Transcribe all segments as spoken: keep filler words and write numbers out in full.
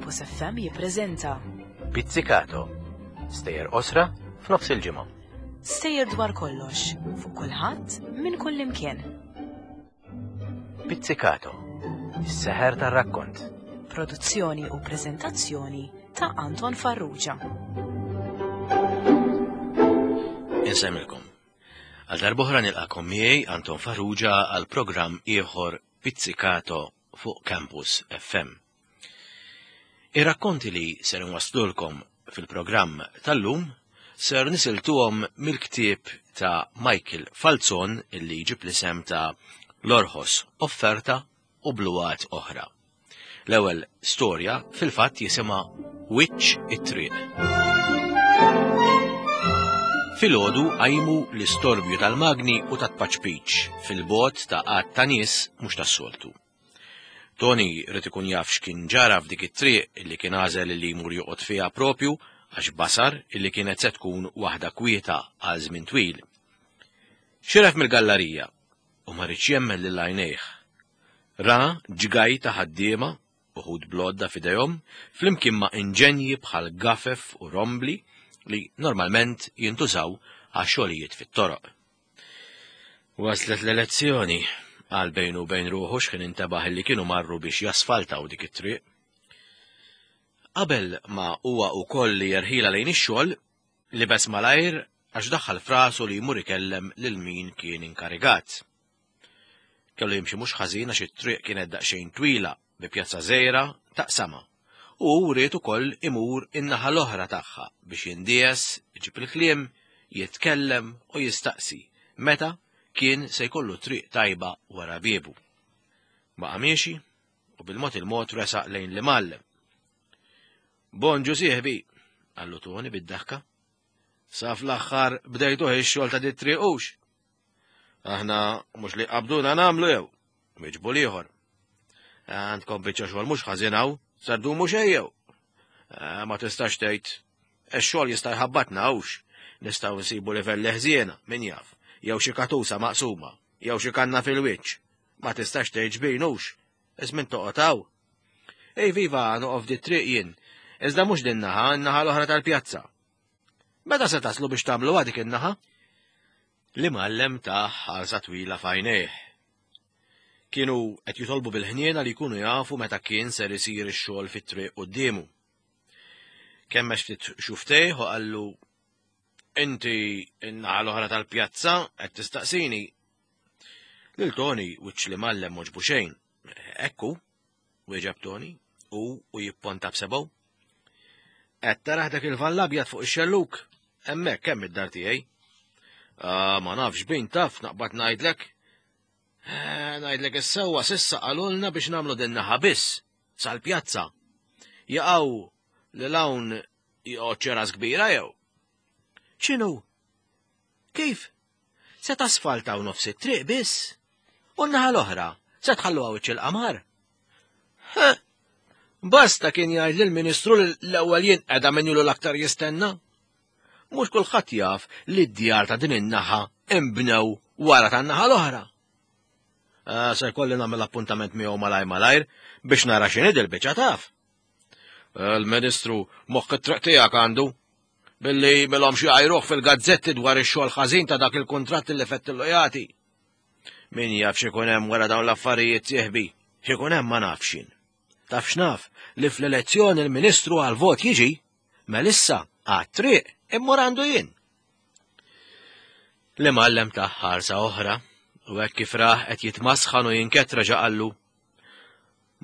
Campus F M jippreżenta Pizzicato. Stejjer qosra f'nofs il-ġimgħa. Stejjer dwar kollox, fuq kulħadd, minn kull imkien. Pizzicato. Is-seħer tar-rakkont. Produzzjoni u preżentazzjoni ta' Anton Farrugia. Insemmilkom. Għal darb'oħra nilqakom miegħi, Anton Farrugia, għal programm ieħor Pizzicato fuq Campus F M. Ir-rakkonti li ser nwaslulkom fil-programm tal-lum ser nisiltuhom mill-ktieb ta' Michael Falzon illi jġib l-isem ta' L-Orħos Offerta u Bluwat Oħra. L-ewwel storja fil-fatt jisimha Wiċċ it-Triq. Filgħodu qajmu l-istorbju tal-magni u tat-paċpiċ fil-bogħod ta' għadd ta' nies mhux tas-soltu. Tony ried ikun jaf x'kien ġara f'dik it-triq illi kien għażel li jmur joqgħod fiha propju għax basar illi kienet se tkun waħda kwieta għal żmien twil. Xiref mill-gallarija u ma riedx jemmen lil għajnejh. Ra ġgaj ta' ħaddiema, uħud bl-għodda f'idejhom, flimkien ma' inġenji bħal gafef u rombli li normalment jintużaw għax xogħlijiet fit-toroq. Waslet l-elezzjoni, qal bejnu u bejn ruħu x'ħin intebaħ li kienu marru biex jasfaltaw dik it-triq. Qabel ma huwa wkoll li jerħila lejn ix-xogħol, libes malajr għax daħħal frasu li jmur ikellem lil min kien inkarigat. Kellu jimxi mhux ħażin għax it-triq kienet daqsxejn twila bi pjazza żgħira taqsama. U ried ukoll imur in-naħa l-oħra tagħha biex jindies, iġib il-kliem, jitkellem u jistaqsi meta kien se jkollu triq tajba wara biebu. Baqa' miexi u bil-mod il-mod resaq lejn l-imgħallem. Bonġu sieħbi, qallu Tony bid-daħka. Sa fl-aħħar bdejtuh ix-xogħol ta' dit-triq hux. Aħna mhux li qabduna nagħmlu jew, wieġbu l-ieħor. Għandkom biċċa xogħol mhux ħażin hawn, sa ddumu xejn jew. Ma tistax tgħid, ix-xogħol jista' jħabbatna hux, nistgħu nsibu livelli ħżiena, min jaf, jew xi katusa maqsuma, jew xi kanna fil-wiċċ. Ma tistax tgħid xbin hux, iż-żmien toqgħod hawn. Ej viva, noqgħod f'di triq jien, iżda mhux din naħa, n-naħa l-oħra tal-pjazza. Meta se taslu biex tagħmlu dik in-naħa? L-imgħallem ta' ħarsa twila f'għajnejh. Kienu qed jitolbu bil-ħniena li jkunu jafu meta kien ser isir ix-xogħol fit-triq quddiemu. Kemmex ftit xuftejh u qallu, Inti n-naħa l-oħra tal-pjazza qed tistaqsini. Lil Tony wiċċ l-imgħallem m'għoġbu xejn. Ekku, wieġeb Tony, u u jipponta b'sebgħu. Qed taraħ dak il-van l-abjad fuq ix-xelluk, hemmhekk hemm id-dar tiegħi. Ah, ma nafx bin taf naqbad ngħidlek. Eh, ngħidlek is-sewwa s'issa qalulna biex nagħmlu din naħa biss sal-pjazza. Jaqgħu lil hawn joqgħod xi ras kbira jew? X'inhu? Kif? Se tasfaltaw nofs it-triq biss? U n-naħa l-oħra se tħalluha wiċċ il-qamar? Ha! Basta kien jgħid lill-Ministru li l-ewwel jinqeda min ilu l-aktar jistenna. Mhux kulħadd jaf li d-djar ta' din in-naħa imbnew wara tan-naħa l-oħra. Ah, se jkolli nagħmel appuntament miegħu malaj malajr biex nara x'inhi dil-biċċa taf. Il-Ministru moħħ it-triq tiegħek għandu billi milhom xi għajruh fil-gazzetti dwar ix-xogħol ħażin ta' dak il-kuntratt li fettillu jagħti. Min jaf x'ikun hemm wara dawn l-affarijiet sieħbi, x'ikun hemm ma nafx jien. Taf x'naf li fl-elezzjoni l-Ministru għal-vot jiġi, melissa għat-triq immur għandu jien. L-imgħallem ta' ħarsa oħra u hekk kif rah qed jitmasħan u jinket reġa' qallu.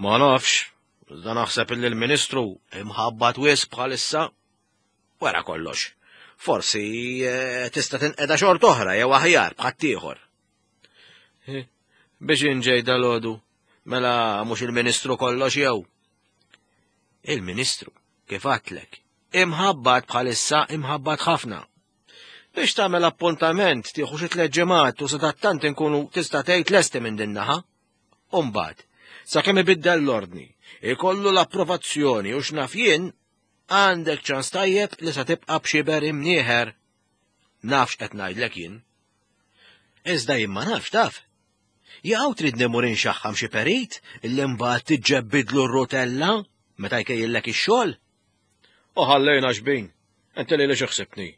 Ma nafx, iżda naħseb illi l-Ministru imħabbat wisq bħalissa. Wara kollox, forsi, eh, tista' tinqeda xort oħra jew aħjar b'ħaddieħor. Eh, biex inġej dalodu, mela mhux il-Ministru kollox jew. Il-Ministru, kif għadtlek, imħabbat bħalissa imħabbat ħafna. Biex tagħmel appuntament tieħu xi tliet ġimgħat u sadattant inkunu tista' tgħid lesti minn din naħa. U mbagħad, sakemm ibiddel l-ordni, ikollu l-approvazzjoni u x'naf jien, għandek ċans tajjeb li sa tibqa' b'xiber imnieħer. Nafx qed ngħidlek jien. Iżda jien ma nafx taf. Jew trid nimur inxaħħam xi perit illi mbagħad tiġġebbidlu r-rotella meta jkejjillek ix-xogħol? U ħallejna xbin, inti li li xħsibni.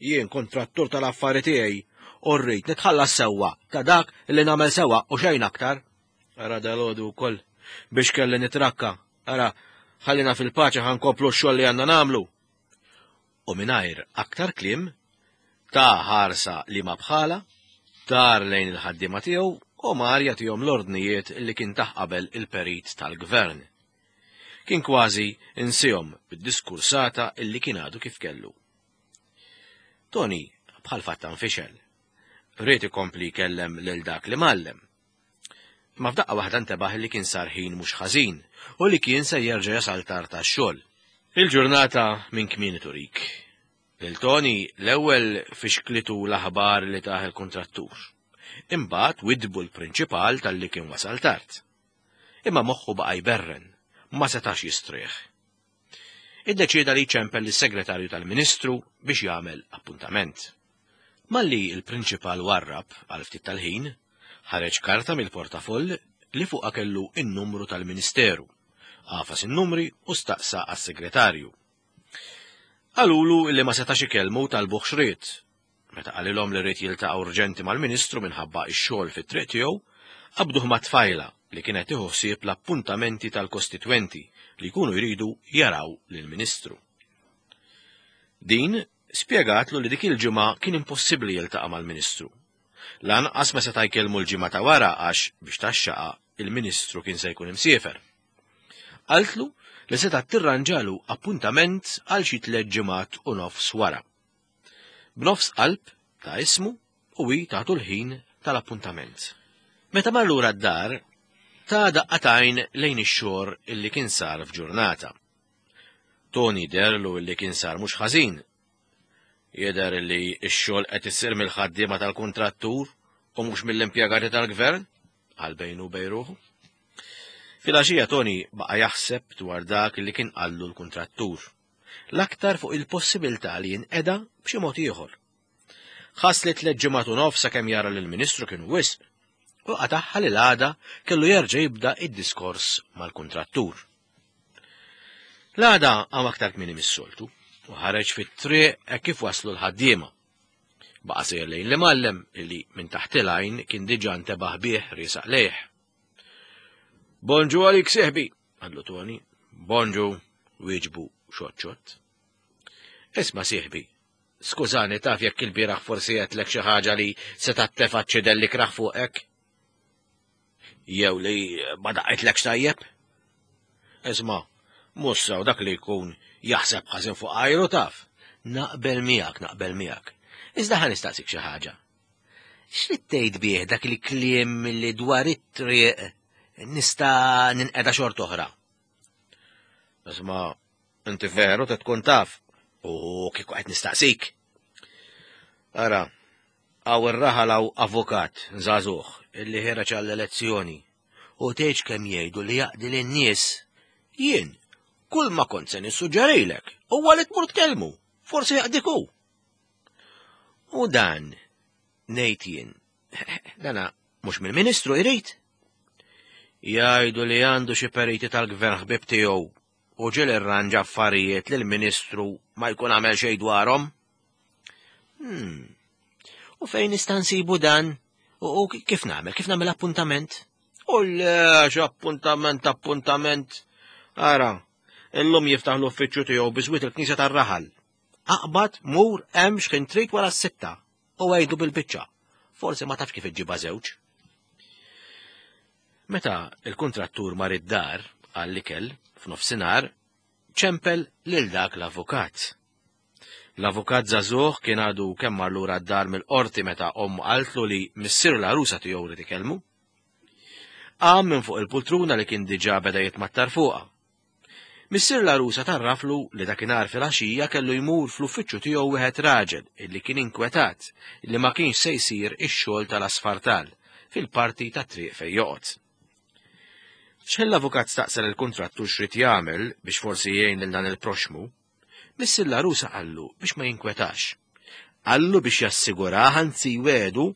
Jien kontrattur tal-affari tiegħi u rrid nitħallas sewwa ta' dak li nagħmel sewwa u xejn aktar. Ara dalgħodu wkoll biex kelli nitrakka. Ara, ħallina fil-paċi ħa nkomplu x-xogħol li għandna nagħmlu. U mingħajr aktar kliem, ta' ħarsa li ma bħala, dar lejn il-ħaddiema tiegħu u mar jagħtihom l-ordnijiet li kien taħ qabel il-perit tal-gvern. Kien kważi insihom bid-diskursata illi kien għadu kif kellu. Tony bħal fatta nfixel. Ried ikompli jkellem lil dak li mallem. Ma f'daqqa waħda ntebaħ li kien sar ħin mhux ħażin u li kien se jerġa' jasal tard tax-xogħol. Il-ġurnata minn kmieni turik. Lil Tony l-ewwel fixklitu l-aħbar li taħ il-kontrattur. Imbagħad widbu l-prinċipal talli kien wasal tard. Imma moħħu baqa' jberren, ma setax jistrieħ. Iddeċieda li jċempel lis-segretarju tal-Ministru biex jagħmel appuntament. Malli il-prinċipal warrab għal ftit tal-ħin, ħareġ karta mill-portafoll li fuqha kellu in-numru tal-Ministeru. Għafas in-numri u staqsa għas-segretarju. Qalulu li ma setax ikellmu talbuh x'ried. Meta qalilhom li ried jiltaqa' urġenti mal-Ministru minħabba x-xogħol fit-triq tiegħu, qabduh ma' tfajla li kienet tieħu ħsieb l-appuntamenti tal-kostitwenti li jkunu jridu jaraw lill-Ministru. Din spjegatlu li dik il-ġimgħa kien impossibbli jiltaqa' mal-Ministru. Lanqas ma seta' jkellmu l-ġimgħa ta' wara għax biex taxxaqa il-Ministru kien se jkun imsiefer. Qaltlu li seta' tirranġalu appuntament għal xi tliet ġimgħat u nofs wara. B'nofs qalb ta' ismu u hi tagħtu l-ħin tal-appuntament. Meta mar lura d-dar, ta' daqqatajn lejn ix-xogħol illi kien sar f'ġurnata. Tony derlu illi kien sar mhux ħażin. Jidher li x-xogħol qed isir mill-ħaddiema tal-kuntrattur u mhux mill-impjegati tal-gvern, għal bejnu bejn ruħu. Filgħaxija Tony baqa' jaħseb dwar dak li kien qallu l-kuntrattur, l-aktar fuq il-possibilità li jinqeda b'xi mod ieħor. Ħass li tliet ġimgħat u nofs sakemm jara lill-Ministru kienu wisq, u qataħħa li l-għada kellu jerġa' jibda id-diskors mal-kuntrattur. L-għada qam aktar kmieni mis-soltu u ħareġ fit-triq hekk kif waslu l-ħaddiema. Baqa' sejjer lejn l-imgħallem illi minn taħt il-għajn kien diġà ntebaħ bih riesaq lejh. Bonġu għalik seħbi, qallu Tony. Bonġu, wieġbu xott xott. Isma' sieħbi, skużani taf jekk il-bieraħ forsi għedtlek xi ħaġa li seta' tefa' ċidelli kraħ fuqek? Jew li ma daqqetlekx tajjeb? Isma', mhux sew dak li jkun jaħseb ħażin fuq għajru taf. Naqbel miegħek, naqbel miegħek. Iżda ħa nistaqsik xi ħaġa. X'rid tgħid bih dak li kliem li dwar it-triq nista' ninqeda xort oħra? Isma', inti veru te tkun taf u kieku qed nistaqsik. Ara, hawn ir-raħal hawn avukat żagħżugħ illi ħereġ għall-elezzjoni u tgħidx kemm jgħidu li jaqdi lin-nies. Jien kull ma kont se nissuġġerilek huwa li tmur tkellmu, forsi jaqdik hu. U dan ngħid jien, dana mhux mill-Ministru jrid. Jgħidu li għandu xi periti tal-gvern ħbieb tiegħu u ġiel irranġa affarijiet li l-Ministru ma jkun għamel xejn dwarhom. Hmm. U fejn nista' nsibu dan? U, u kif nagħmel? Kif nagħmel appuntament? U le, appuntament, appuntament. Ara, illum jiftaħ l-uffiċċju tiegħu biżwit il-knisja tar-raħal. Aqbad mur hemm x'kien trid wara s-sitta u għidu bil-biċċa. Forsi ma tafx kif iġġibha żewġ. Meta il-kontrattur mar id-dar għall-ikel f'nofsinhar, ċempel lil dak l-avukat. L-avukat żagħżugħ kien għadu kemm mar lura d-dar mill-qorti meta ommu qaltlu li missier l-għarusa tiegħu rid ikellmu. Qam minn fuq il-pultruna li kien diġà beda jitmattar fuqha. Missier l-għarusa tarraflu li dakinhar filgħaxija kellu jmur fl-uffiċċju tiegħu wieħed raġel illi kien inkwetat illi ma kienx se jsir ix-xogħol tal-asfartal fil-parti tat-triq fejn joqgħod. X'ħin l-avukat staqsa lill-kuntrattur x'rid jagħmel biex forsi jgħin lil dan il-proxmu, missier l-għarusa qallu biex ma jinkwetax. Qallu biex jassigurah anzi jwedu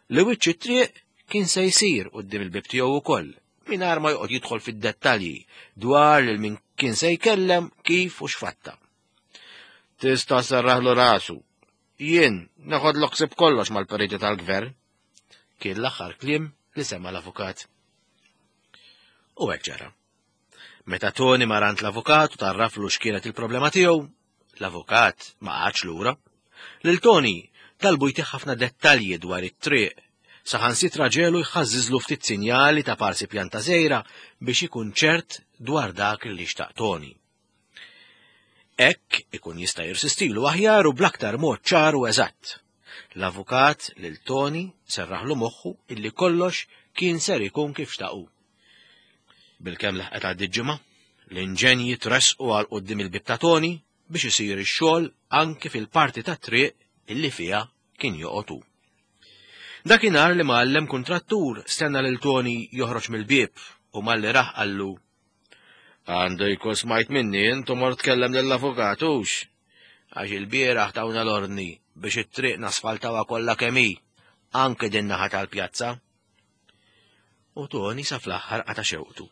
li wiċċ it-triq kien se jsir quddiem il-bib tiegħu wkoll, mingħajr ma joqgħod jidħol fid-dettalji dwar lil min kien se jkellem kif u x'fatta. Tista' serraħlu rasu. Jien neħodlok ħsieb kollox mal-periti tal-gvern. Kien l-aħħar kliem li sema l-avukat. U hekk ġara. Meta Toni mar għand l-avukat u tarraflu x'kienet il-problema tiegħu, l-avukat ma qagħadx lura. Lil Toni talbu jtih ħafna dettalji dwar it-triq, saħansitra ġelu jħażżiżlu ftit sinjali ta' parsi pjanta żgħira biex ikun ċert dwar dak li xtaq Toni. Hekk ikun jista' jirsistilu aħjar u bl-aktar mod ċar u eżatt. L-avukat lil Toni serraħlu moħħu illi kollox kien ser ikun kif xtaqu. Bilkemm laħqet għaddiet ġimgħa, l-inġenji tressqu għal quddiem il-bieb ta' Toni biex isir ix-xogħol anke fil-parti tat-triq illi fiha kien joqgħod hu. Dakinhar li mgħallem kuntrattur stenna lil Toni joħroġ mill-bieb u malli rah qallu: Għandu jkun smajt minni intu mort tkellem lill-avukat hux, għax il-bieraħ tawna l-ordni biex it-triq nasfaltawha kollha kemm hi, anke din naħa tal-pjazza. U Toni sa fl-aħħar qata' xewqtu.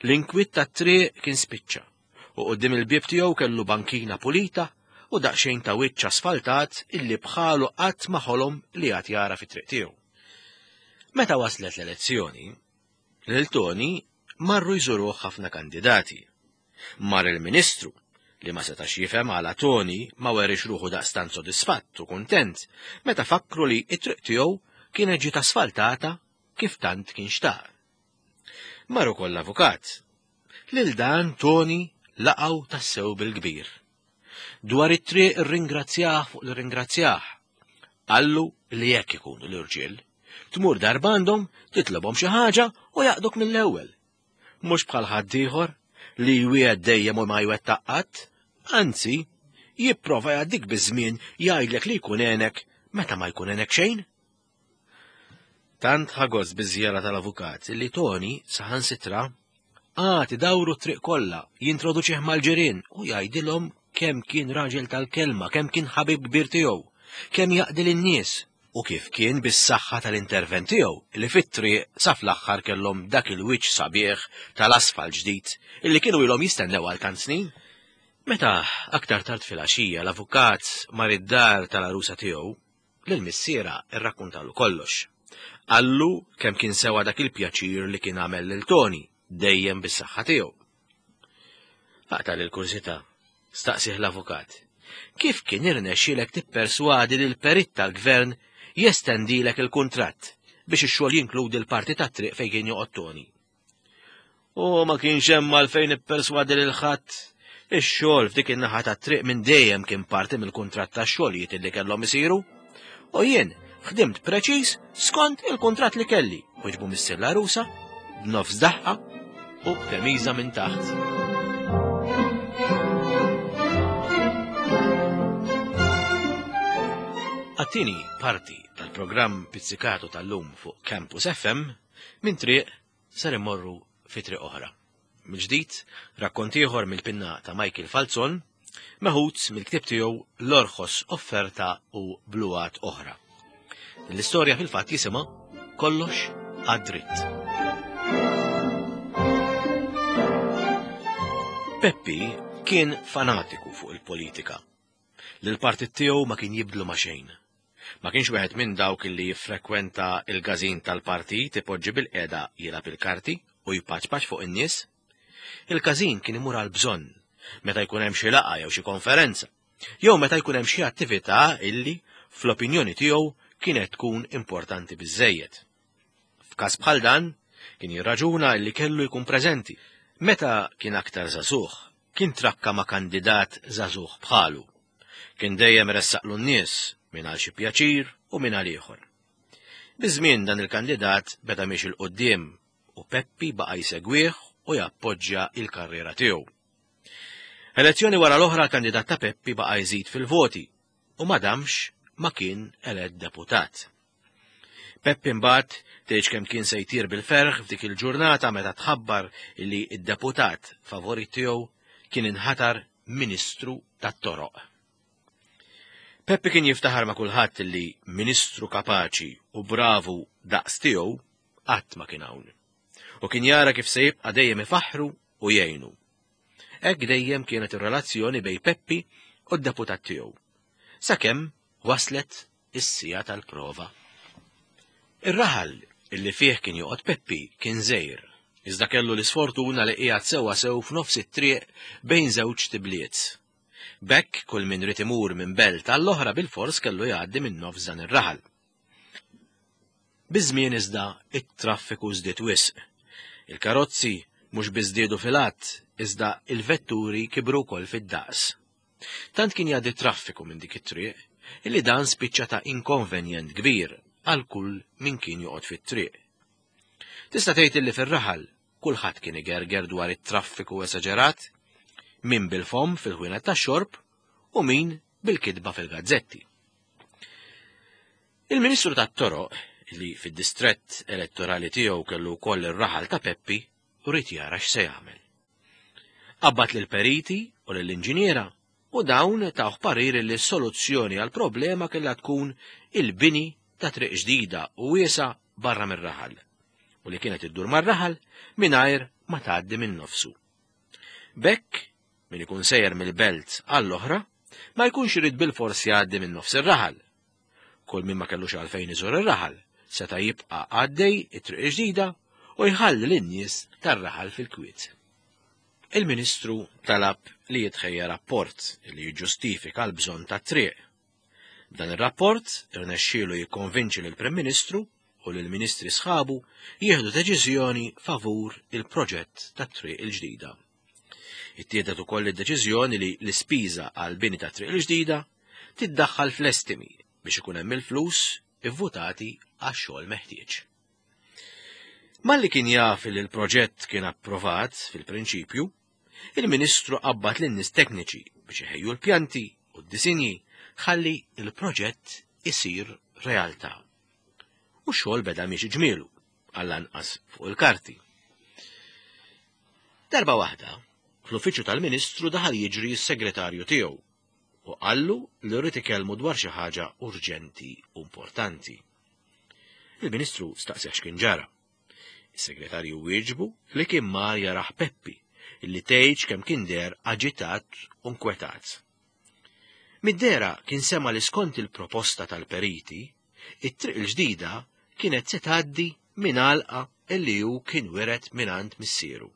L-inkwiet tat-triq kien spiċċa u quddiem il-bieb tiegħu kellu bankina pulita u daqsxejn ta' wiċċ asfaltat illi bħalu qatt ma ħolom li għad jara fit-triq tiegħu. Meta waslet l-elezzjoni, lil Toni marru jżuruh ħafna kandidati. Mar il-Ministru li ma setax jifhem għala Toni ma werix ruħu daqstant sodisfatt u kuntent meta fakru li t-triq tiegħu kienet ġiet asfaltata kif tant kien xtaq. Mar ukoll l-avukat. Lil dan Toni laqgħu tassew bil-kbir. Dwar it-triq irringrazzjah fuq l-ringrazzjah. Qallu li jekk ikunu l-irġiel, tmur darba għandhom, titlobhom xi ħaġa u jaqduk mill-ewwel. Mhux bħal ħaddieħor li jwiegħed dejjem u ma jwettaq qatt, anzi jipprova jgħaddik biż-żmien jgħidlek li jkun għenek meta ma jkun għenek xejn. Tant ħa gost biż-żjara tal-avukat li Toni saħansitra għad idawru t-triq kollha, jintroduċih mal-ġirien u jgħidilhom kemm kien raġel tal-kelma, kemm kien ħabib kbir tiegħu, kemm jaqdi lin-nies u kif kien bis-saħħa tal-intervent tiegħu li fit-triq sa fl-aħħar kellhom dak il-wiċċ sabiħ tal-asfalt ġdid illi kienu ilhom jistennew għal tant snin. Meta aktar tard fil-għaxija l-avukat mar id-dar tal-għarusa tiegħu, lil missiera rrakkuntalu kollox. Qallu kemm kien sewa dak il-pjaċir li kien għamel lil Toni dejjem bis-saħħa tiegħu. Aqta' lil kurżità, staqsih l-avukat. Kif kien irnexxielek tipperswadi lil perit tal-gvern jestendilek il-kuntratt biex ix-xogħol jinkludi l-parti tat-triq fejn kien joqgħod Toni? U ma kienx hemm għalfejn ipperswadi lil ħadd. Ix-xogħol f'dik in-naħa tat-triq minn dejjem kien parti mill-kuntratt tax-xogħlijiet illi kellhom isiru. U jien ħdimt preċiż skont il-kuntratt li kelli, wieġbu missier l-għarusa b'nofs daħqa u b'temiża minn taħt. Għat-tieni parti tal-programm Pizzicato tal-lum fuq Campus F M minn triq ser immorru fi triq oħra. Mill-ġdid, rakkont ieħor mill-pinna ta' Michael Falzon, meħud mill-ktieb tiegħu L-Orħos Offerta u Bluwat Oħra. L-istorja fil-fatt jisimha Kollox għad-dritt. Peppi kien fanatiku fuq il-politika. Lil-partit tiegħu ma kien jibdlu ma' xejn. Ma kienx wieħed minn dawk li jiffrekwenta il-każin tal-partit ipoġġi bil-qeda jilgħab il-karti u jpaċpaċ fuq in-nies. Il-każin kien imur għal bżonn meta jkun hemm xi laqgħa jew xi konferenza, jew meta jkun hemm xi attività illi fl-opinjoni tiegħu kienet tkun importanti biżżejjed. F'każ bħal dan kien jirraġuna illi kellu jkun preżenti. Meta kien aktar żagħżugħ, kien trakka ma' kandidat żagħżugħ bħalu. Kien dejjem ressaqlu n-nies minn għal xi pjaċir u minn għal ieħor. Biż-żmien dan il-kandidat beda miexi 'l quddiem u Peppi baqa' jsegwih u jappoġġja il-karriera tiegħu. Elezzjoni wara l-oħra l-kandidat ta' Peppi baqa' jżid fil-voti u ma damx ma kien elett deputat. Peppi mbagħad tgħidx kemm kien se jtir bil-ferħ f'dik il-ġurnata meta tħabbar li d-deputat favorit tiegħu kien inħatar Ministru tat-Toroq. Peppi kien jiftaħar ma' kulħadd li ministru kapaċi u bravu daqs tiegħu qatt ma kien hawn. U kien jara kif se jibqa' dejjem ifaħħru u jgħinu. Hekk dejjem kienet ir-relazzjoni bejn Peppi u d-deputat tiegħu. Sakemm waslet is-siegħa tal-prova. Ir-raħal illi fih kien joqgħod Peppi kien żgħir, iżda kellu l-isfortuna li qiegħed sewwa sew f'nofs it-triq bejn żewġ tibliet. B'hekk kull min ried imur minn belt għall-oħra bilfors kellu jgħaddi minn nofs dan ir-raħal. Biż-żmien iżda it-traffiku żdied wisq. Il-karozzi mhux biss żdiedu fil-għadd, iżda il-vetturi kibru wkoll fid-daqs. Tant kien jgħaddi traffiku minn dik it-triq illi dan spiċċa ta' inkonvenjent kbir għal kull min kien joqgħod fit-triq. Tista' tgħid illi fir-raħal kulħadd kien igerger dwar it-traffiku esaġerat, min bil-fomm fil-ħwienet tax-xorb u min bil-kitba fil-gazzetti. Il-Ministru tat-Toroq, li fid-distrett elettorali tiegħu kellu wkoll ir-raħal ta' Peppi, ried jara x'se jagħmel. Qabbad lill-periti u lill-inġiniera u dawn tawh parir li s-soluzzjoni għall-problema kellha tkun il-bini ta' triq ġdida u wiesgħa barra mir-raħal u li kienet iddur mar-raħal mingħajr ma tgħaddi minn nofsu. B'hekk, min ikun sejjer mill-belt għall-oħra, ma jkunx irid bilfors jgħaddi minn nofs ir-raħal. Kull min ma kellux għalfejn iżur ir-raħal seta' jibqa' għaddej it-triq ġdida u jħalli lin-nies tar-raħal fil-kwiet. Il-Ministru talab li jitħejja rapport li jiġġustifika l-bżonn tat-triq. B'dan ir-rapport irnexxielu jikkonvinċi lill-Prim Ministru u lill-Ministri sħabu jieħdu deċiżjoni favur il-proġett tat-triq il-ġdida. Ittieħdet ukoll id-deċiżjoni li l-ispiża għal bini tat-triq il-ġdida tiddaħħal fl-estimi biex ikun hemm il-flus ivvutati għax-xogħol meħtieġ. Malli kien jaf li l-proġett kien approvat fil-prinċipju, il-Ministru qabbad lin-nies tekniċi biex iħejju l-pjanti u d-disinji ħalli il-proġett isir realtà. U x-xogħol beda miexi ġmielu, għall-anqas fuq il-karti. Darba waħda, fl-uffiċċju tal-Ministru daħal jiġri s-segretarju tiegħu u qallu li rrid ikellmu dwar xi ħaġa urġenti u importanti. Il-Ministru staqsih x'kien ġara. Is-segretarju wieġbu li kien mar jaraħ Peppi, illi tgħidx kemm kien deher aġitat u nkwetat. Mid-dehra kien sema li skont il-proposta tal-periti, it-triq il-ġdida kienet se tgħaddi minn għalqa illi hu kien wiret mingħand missieru.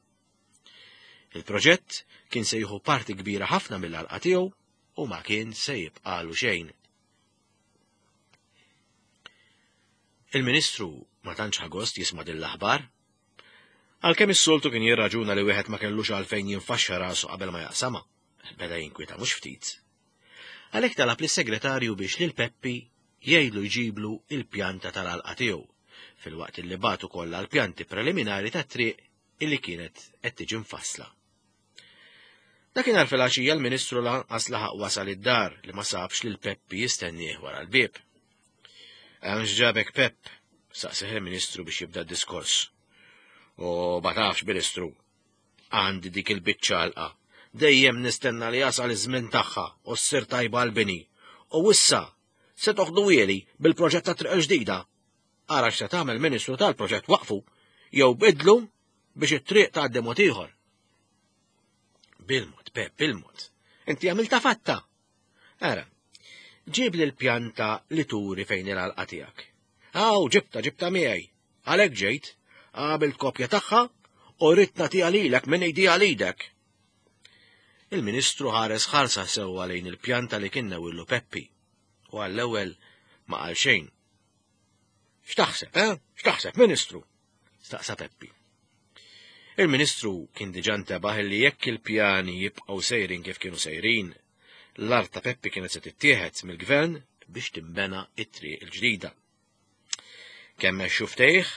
Il-proġett kien se jieħu parti kbira ħafna mill-għalqa tiegħu u ma kien se jibqalu xejn. Il-Ministru ma tantx ħa gost jisma' din l-aħbar. Għalkemm is-soltu kien jirraġuna li wieħed ma kellux għalfejn jinfaxxa rasu qabel ma jaqsama, beda jinkwieta mhux ftit. Għalhekk talab lis-segretarju biex lil Peppi jgħidlu jġiblu il-pjanta tal-għalqa tiegħu, filwaqt li bagħtu kollha l-pjanti preliminari tat-triq illi kienet qed tiġi mfassla. Dakinhar filgħaxija l-Ministru lanqas laħaq wasal id-dar li ma sabx lil Peppi jistennieh wara l-bieb. Hemm x'ġabek Pepp? Saqsih il-Ministru biex jibda d-diskors. U ma tafx, Ministru, għandi dik il-biċċa għalqa. Dejjem nistenna li jasal iż-żmien tagħha u ssir tajba għall-bini. U issa se toħdu bil-proġett ta' triq ġdida. Ara x'se tagħmel Ministru tal-proġett waqfu jew bidlu biex it-triq tgħaddi mod ieħor. Bil-mod, Pepp, bil-mod. Inti għamilta fatta. Ara, ġib li l-pjanta li turi fejn il-għalqa tiegħek. Aw, ġibta, ġibta miegħi. Għalhekk ġejt, għamilt kopja tagħha u rrid nagħtiha lilek minn idija lilek. Il-Ministru ħares ħarsa sewwa lejn il-pjanta li kien newillu Peppi u għall-ewwel ma qal xejn. X'taħseb, eh? X'taħseb, Ministru? Staqsa Peppi. Il-Ministru kien diġà ntebaħ li jekk il-pjani jibqgħu sejrin kif kienu sejrin, l-art ta' Peppi kienet se tittieħed mill-gvern biex timbena it-triq il-ġdida. Kemm xuftejh,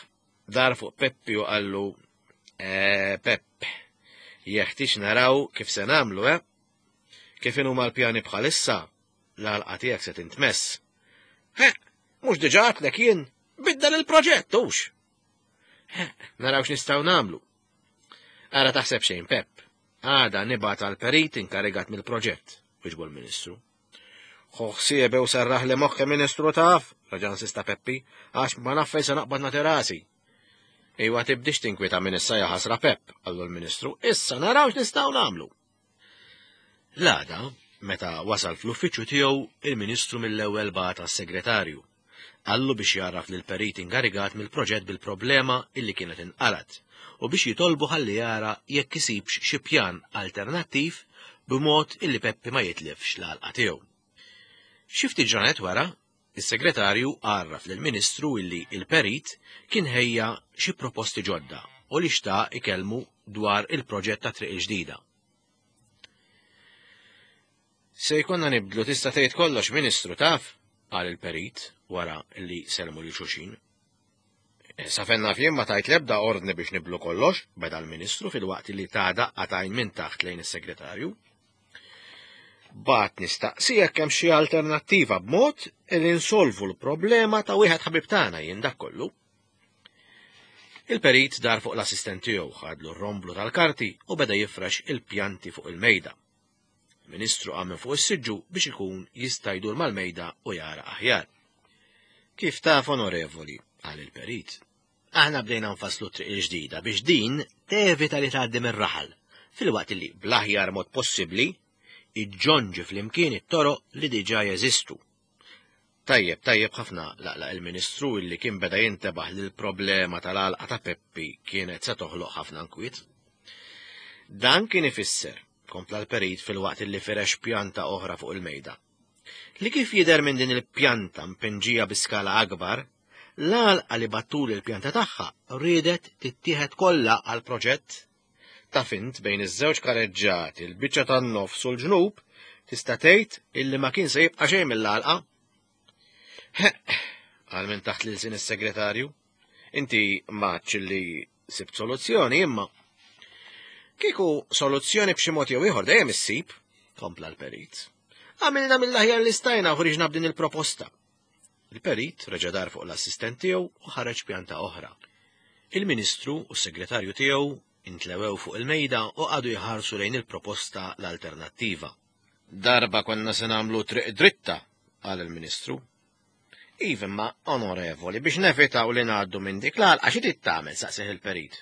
dar fuq Peppi u qallu, eh, Pepp, jeħtieġ naraw kif se nagħmlu, eh? Kif inhuma l-pjani bħalissa, l-għalqa tiegħek se tintmess. He, mhux diġà għedtlek jien, biddel il-proġett, hux. Naraw x'nistgħu nagħmlu. Ara taħseb xejn, Pepp. Għada nibgħat għal perit inkarigat mill-proġett, wieġbu l-Ministru. Ħu ħsiebe u serraħ li moħħi Ministru taf, raġa' insista Peppi, għax ma naf fejn se naqbad nagħti rasi. Ejwa tibdix tinkwieta minn issa ja ħasra Pepp, qallu l-Ministru, issa naraw x'nistgħu nagħmlu. L-għada, meta wasal fl-uffiċċju tiegħu, il-Ministru mill-ewwel bagħat għas-segretarju. Qallu biex jgħarraf lill-perit inkarigat mill-proġett bil-problema illi kienet inqalat u biex jitolbu ħalli jara jekk isibx xi pjan alternattiv b'mod illi Peppi ma jitlifx l-għalqa tiegħu. Xi ftit ġranet wara, is-segretarju għarraf lill-Ministru illi il-perit kien ħejja xi proposti ġodda u li xtaq ikellmu dwar il-proġett ta' triq il-ġdida. Se jkollna nibdlu tista' tgħid kollox, Ministru, taf, qal il-perit wara li sellmu lil xulxin. Sa fejn naf jien ma tajt l-ebda ordni biex nibdlu kollox, beda l-Ministru filwaqt li ta daqqa t'għajn minn taħt lejn is-segretarju. Bat nistaqsi jekk hemm xi alternattiva b'mod li nsolvu l-problema ta' wieħed ħabib tagħna jien dak kollu. Il-perit dar fuq l-assistent tiegħu, ħadlu r-romblu tal-karti u beda jifrex il-pjanti fuq il-mejda. Il-Ministru qam minn fuq is-siġġu biex ikun jista' jdur mal-mejda u jara aħjar. Kif taf, onorevoli, qal il-perit, aħna bdejna nfasslu triq il-ġdida biex din tevita li tgħaddi mir-raħal, filwaqt li bl-aħjar mod possibbli iġġonġi flimkien it-toroq li diġà jeżistu. Tajjeb, tajjeb ħafna, laqlaq il-Ministru illi kien beda jintebaħ li l-problema tal-għalqa ta' Peppi kienet se toħloq ħafna nkwiet. Dan kien ifisser, kompla l-perit filwaqt li firex pjanta oħra fuq il-mejda, li kif jidher minn din il-pjanta mpinġija bi skala akbar, l-għalqa li battul il-pjanta tagħha riedet tittieħed kollha għal proġett. Taf int bejn iż-żewġ kareġġati, il-biċċa tan-nofs u l-ġnub, tista' tgħid illi ma kien se jibqa' xejn mill-għalqa. Heq, qal minn taħt lil sin is-segretarju, inti m'għadx illi sibt soluzzjoni imma. Kieku soluzzjoni b'xi mod jew ieħor dejjem issib, kompla l-perit. Għamilna mill-aħjar li stajna u ħriġna b'din il-proposta. Il-perit reġa' dar fuq l-assistent tiegħu u ħareġ pjanta oħra. Il-Ministru u s-segretarju tiegħu intlewew fuq il-mejda u qagħdu jħarsu lejn il-proposta l-alternattiva. Darba konna se nagħmlu triq dritta, qal il-Ministru. Iva, ma onorevoli, biex nevitaw li ngħaddu minn dik l-għalqa xi trid tagħmel, saqsih il-perit.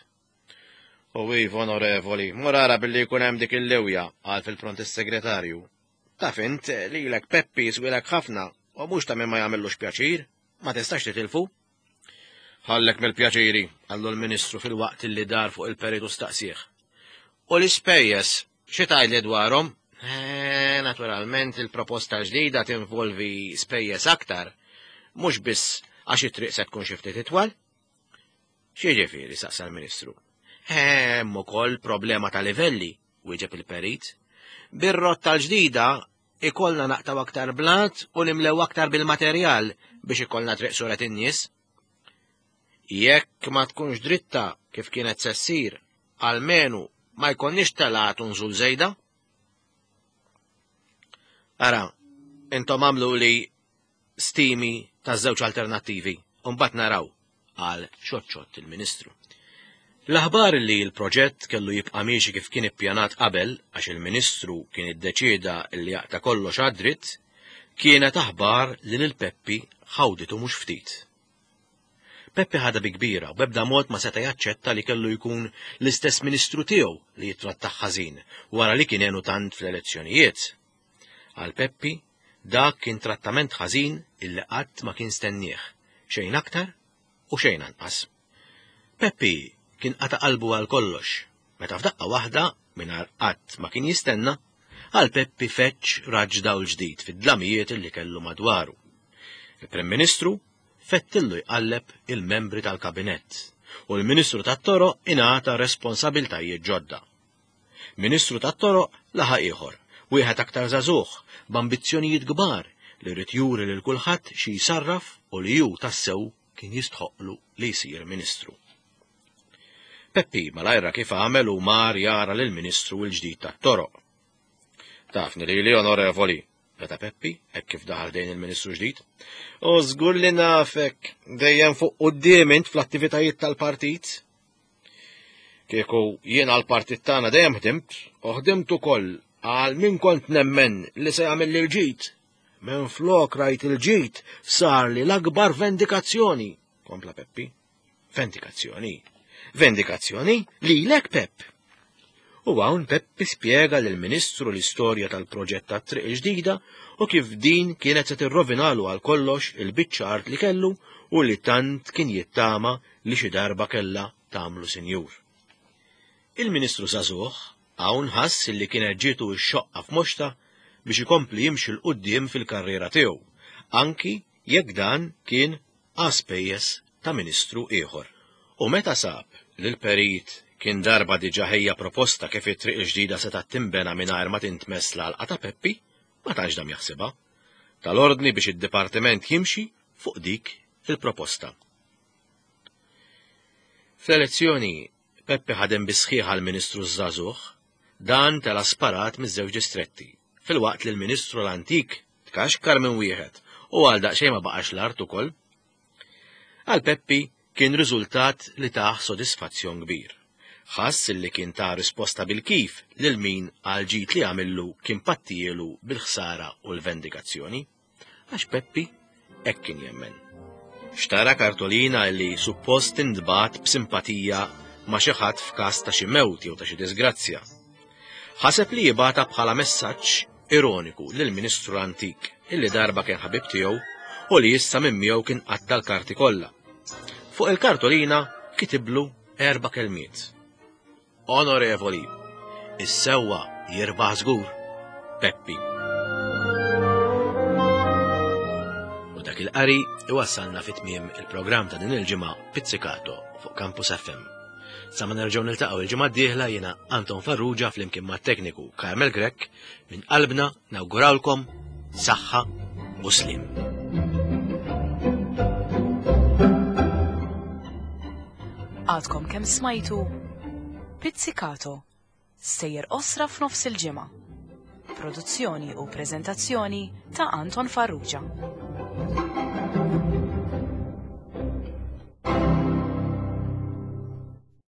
U iva, onorevoli, mur ara billi jkun hemm dik il-lewja, qal fil-pront is-segretarju. Taf int lilek Peppi jiswilek ħafna u mhux ta' min ma jagħmillux pjaċir, ma tistax titilfu. Ħallek mill-pjaċiri, qallu l-Ministru filwaqt li dar fuq il-perit u staqsih. U l-ispejjeż, xi tgħidli dwarhom? Eh, naturalment il-proposta ġdida tinvolvi spejjeż aktar, mhux biss għax it-triq se tkun xi ftit itwal. X'jiġifieri, saqsa l-Ministru. Hemm ukoll problema ta' livelli, wieġeb il-perit. Bir-rotta l-ġdida ikollna naqtaw aktar blat u nimlew aktar bil-materjal biex ikollna triq suret in-nies. Jekk ma tkunx dritta kif kienet se ssir, almenu ma jkollniex telgħat u nżul żejda. Ara, intom għamlu li stimi ta' żewġ alternattivi, u mbagħad naraw, qal xoċċott il-Ministru. L-aħbar li l-proġett kellu jibqa' miexi kif kien ippjanat qabel għax il-Ministru kien iddeċieda li jaqta' kollox għad-dritt, kienet aħbar li lil Peppi ħawditu mhux ftit. Peppi ħadha bi kbira u b'ebda mod ma seta' jaċċetta li kellu jkun l-istess Ministru tiegħu li jittrattah ħażin wara li kien għenu tant fl-elezzjonijiet. Għal Peppi dak kien trattament ħażin illi qatt ma kien stennieh, xejn aktar u xejn anqas. Peppi kien qata' qalbu għal kollox, meta f'daqqa waħda mingħajr qatt ma kien jistenna, għal Peppi feċ raġ dawl ġdid fid-dlamijiet illi kellu madwaru. Il-Prim Ministru fettillu jqalleb il-membri tal-kabinett u l-Ministru tat-Toroq ingħata responsabiltajiet ġodda. Ministru tat-Toroq laħaq ieħor, wieħed aktar żagħżugħ b'ambizzjonijiet kbar li rrid juri lil kulħadd xi jsarraf u li hu tassew kien jistħoqlu li jsir ministru. Peppi malajra kif għamel u mar jara lill-Ministru l-ġdid tat-Toroq. Tafni lili, onorevoli, beda Peppi, hekk kif daħal dejn il-Ministru ġdid. U żgur li nafek dejjem fuq quddiem int fl-attivitajiet tal-partit. Kieku jien għall-partit tagħna dejjem ħdimt, u ħdimt ukoll għal min kont nemmen li se jagħmel li l-ġid. Minn flok rajt il-ġid sar li l-akbar vendikazzjoni, kompla Peppi. Vendikazzjoni? Vendikazzjoni lilek, Pepp. U hawn Peppi spjega lill-Ministru l-istorja tal-proġett tat-triq il-ġdida u kif din kienet se tirrovinalu għal kollox il-biċċa art li kellu u li tant kien jittama li xi darba kellha tagħmlu sinjur. Il-Ministru żagħżugħ hawn ħass li kienet ġietu x-xoqqa f'moxta biex ikompli jimxi 'l quddiem fil-karriera tiegħu, anki jekk dan kien għaspejjeż ta' ministru ieħor. U meta sab li l-perit kien darba diġà ħejja proposta kif it-triq il-ġdida setgħet tinbena mingħajr ma tintmess l-għalqa ta' Peppi, ma tantx dam jaħsibha. Tal-ordni biex id-dipartiment jimxi fuq dik il-proposta. Fl-elezzjoni, Peppi ħadem bisħiħ għall-Ministru żagħżugħ, dan tela sparat miż-żewġ distretti, filwaqt li l-Ministru l-antik tkaxkar minn wieħed u għal daqsxejn ma baqax l-art ukoll. Għal Peppi kien riżultat li tah sodisfazzjon kbir. Ħass li kien ta' risposta bil-kif lil min għal ġid li għamillu kien pattijielu bil-ħsara u l-vendikazzjoni. Għax Peppi hekk kien jemmen. Xtara kartolina li suppost tintbagħat b'simpatija ma' xi ħadd f'każ ta' xi mewt jew ta' xi disgrazzja. Ħaseb li jibgħatha bħala messaġġ ironiku lill-Ministru l-antik illi darba kien ħabib tiegħu u li issa minn miegħu kien qatta l-karti kollha. Fuq il-kartolina kitiblu erba' kelmiet. Onorevoli, is-sewwa jirbaħ żgur, Peppi. U dak il-qari iwassalna fi tmiem il-programm ta' din il-ġimgħa Pizzicato fuq Campus F M. Sa ma nerġgħu niltaqgħu il-ġimgħa d-dieħla jiena Anton Farrugia flimkien mat-tekniku Carmel Grech minn qalbna nawgurawlkom saħħa u slim. Għadkom kemm smajtu Pizzicato, sejjer qosra f'nofs il-ġimgħa. Produzzjoni u preżentazzjoni ta' Anton Farrugia.